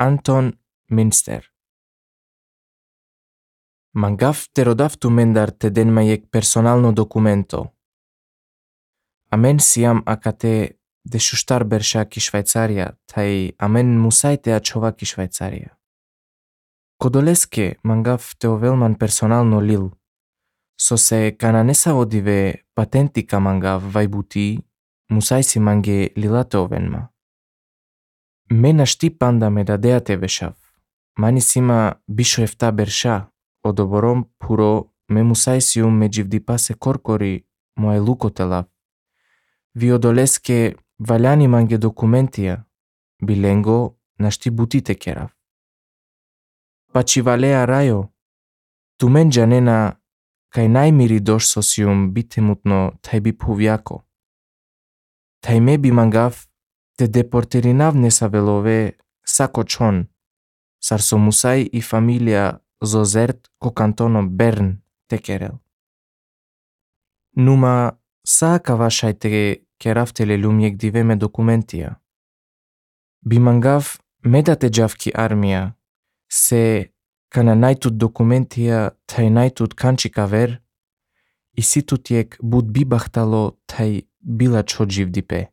Anton Minster. Mangaf terodaf tu mendar te den maiec personalno documento. Amen siam acate de shustar bersha ki Švajcaria, tai amen musaite a čova ki Švajcaria. Kodoleske mangaf te ovelman personalno lil, so se kananesa odive patentika mangaf vaibuti, musaisi mange lilate ovenma. Mena šti panda me dadea te vešav, mani sima bisho efta bersha, odoborom puro me musaisium me jivdipase korkori moe lukotelav. Vi odoleske valjani mange dokumentija, bilengo našti butite kerav. Pači valea rajo, tu men janena kaj najmiri doš sosium bitemutno taj bi povjako. Taj me bi mangaf te deporterinav nesavelove sako čon, sar so musai i familia zozert ko kantono Bern te kerel. Numa saaka vašaj te keraftele lumiek diveme dokumentija. Bi mangaf medate javki armia, se kana najtut dokumentija taj najtut kančika ver, i situtiek bud bibahtalo taj bila čo živdipe.